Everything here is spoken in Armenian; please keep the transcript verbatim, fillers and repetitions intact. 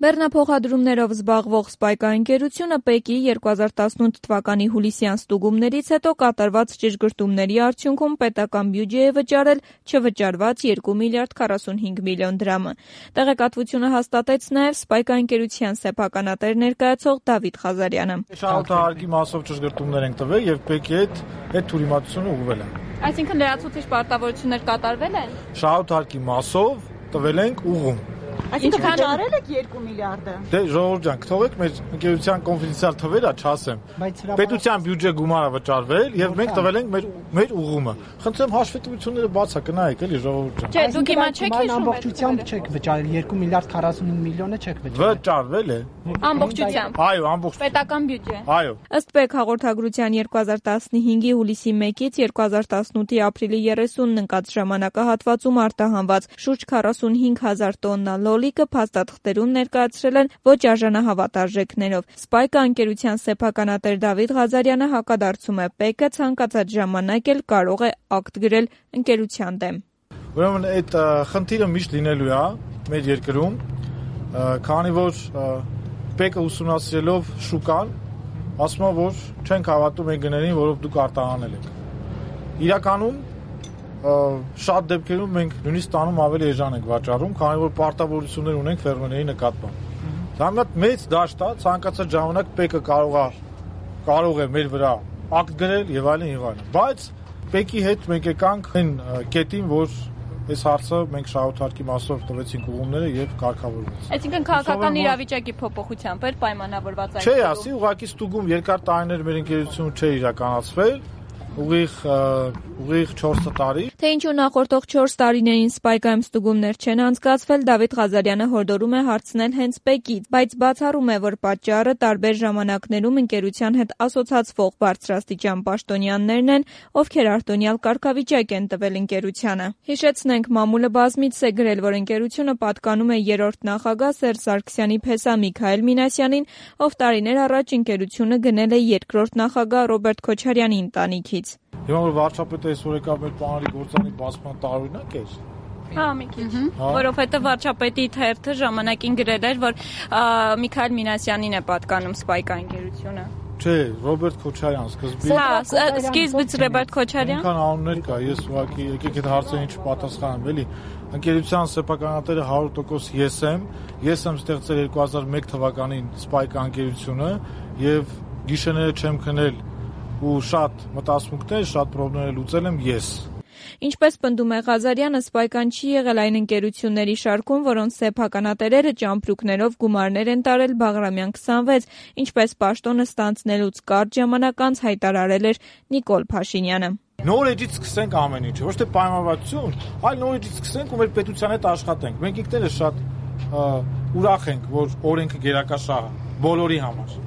Բեռնափոխադրումներով զբաղվող Spike ընկերությունը ՊԵԿ-ի երկու հազար տասնութ թվականի հուլիսյան ստուգումներից հետո կատարված ճշգրտումների արդյունքում պետական բյուջե է վճարել չվճարված երկու միլիարդ քառասունհինգ միլիոն դրամը։ Տեղեկատվությունը հաստատեց նաև Spike ընկերության սեփականատեր ներկայացող Դավիթ Ղազարյանը։ Շահութահարկի մասով ճշգրտումներ ենք տվել եւ ՊԵԿ-ի հետ այդ թյուրիմացությունը ուղղվել է։ Այսինքն լրացուցիչ պարտավորություններ կատարվել են։ Շահութահարկի մասով տվել ենք ուղղում։ Այսինքն վճարել եք երկու միլիարդը։ Դե ժողովուրդ ջան, թողեք մեր ընկերության կոնֆիդենցիալ թվերը, չասեմ։ Պետության բյուջե գումարը վճարվել եւ մենք տվել ենք մեր մեր ուղղումը։ Խնդրեմ հաշվետվությունները բացա կնայեք էլի ժողովուրդ ջան։ Չէ, դուք հիմա չեք հիշում ամբողջությամբ չեք վճարել երկու միլիարդ քառասունհինգ միլիոնը չեք վճարել։ Վճարվել է։ Ամբողջությամբ։ Այո, ամբողջությամբ։ Պետական բյուջե։ Այո։ Ըստ ՊԵԿ հաղորդագրության երկու հազար տասնհինգի հուլիսի մեկից երկու հազար տասնութի ապրիլի երեսունն ընկած ժամանակահատվածում արտահանված շուրջ քառասունհինգ հազար տոննա լոլիկը փաստաթղթերում ներկայացրել են ոչ արժանահավատ արժեքներով։ Spike ընկերության սեփականատեր Դավիթ Ղազարյանը հակադարձում է ՊԵԿ-ը ցանկացած ժամանակ էլ կարող է ակտ գրել ընկերության դեմ։ Ուրեմն այդ խնդիրը միշտ լինելու է մեր երկրում, քանի որ ՊԵԿ-ը ուսումնասիրելով շուկան, ասում է, որ չենք հավատում այն գներին, որով դուք արտահանել եք։ Իրականում շատ դեպքերում մենք նույնիսկ տանում ավելի էժան ենք վաճառում, քանի որ պարտավորություններ ունենք ֆերմերների նկատմամբ։ Դա մի հատ մեծ դաշտ է, ցանկացած ժամանակ ՊԵԿ-ը կարող է կարող է մեր վրա ակտ գրել եւ այլն եւ այլն։ Բայց ՊԵԿ-ի հետ մենք եկանք այն կետին, որ այս հարցը մենք շահութահարկի մասով տվեցինք ուղումները եւ կարգավորվեց։ Այսինքն քաղաքական իրավիճակի փոփոխությամբ էր պայմանավորված այդ։ Չէ, ասի ուղղակի ստուգում երկար տարիներ մեր ընկերությունը չէ իրականացվել։ Ուղիղ ուղիղ չորս տարի։ Թե ինչու նախորդող չորս տարիներին Spike-ում ստուգումներ չեն անցկացվել, Դավիթ Ղազարյանը հորդորում է հարցնել հենց ՊԵԿ-ից, բայց բացառում է, որ պատճառը տարբեր ժամանակներում ընկերության հետ ասոցացվող բարձրաստիճան պաշտոնյաներն են, ովքեր արտոնյալ կարգավիճակ են տվել ընկերությանը։ Հիշեցնենք, մամուլը բազմիցս է գրել, որ ընկերությունը պատկանում է երրորդ նախագահ Սերժ Սարգսյանի փեսա Միքայել Մինասյանին, ով տարիներ առաջ ընկերությունը գնել է երկրորդ նախագահ Ռոբերտ Քոչարյանի ընտանիքից։ Հիմա որ վարչապետը այսօր եկավ մեր պանարի գործանի բացման տարօրինակ էր։ Հա, մի քիչ։ Որովհետեւ վարչապետի թերթը ժամանակին գրել էր, որ Միքայել Մինասյանին է պատկանում Spike ընկերությունը։ Չէ, Ռոբերտ Քոչարյան սկզբից։ Հա, սկզբից Ռոբերտ Քոչարյան։ Ինքան անուններ կա, ես ուղղակի եկեք այդ հարցերին չպատասխանեմ, էլի։ Ընկերության սեփականատերը հարյուր տոկոս ես եմ, ես եմ ստեղծել երկու հազար մեկ թվականին Spike ընկերությունը եւ գիշերները չեմ քնել ու շատ մտածմունքներ, շատ խնդիրներ լուծել եմ ես։ Ինչպես պնդում է Ղազարյանը, Spike-ն չի եղել այն ընկերությունների շարքում, որոնց սեփականատերերը ճամպրուկներով գումարներ են տարել Բաղրամյան քսանվեց, ինչպես պաշտոնը ստանձնելուց կարճ ժամանակ անց հայտարարել էր Նիկոլ Փաշինյանը։ Նոր էջից սկսենք ամեն ինչը, ոչ թե պայմանավորվածություն, այլ նոր էջից սկսենք ու մեր պետության հետ աշխատենք։ Մենք ինքներս շատ ուրախ ենք, որ օրենքը գերակաշահ է բոլորի համար։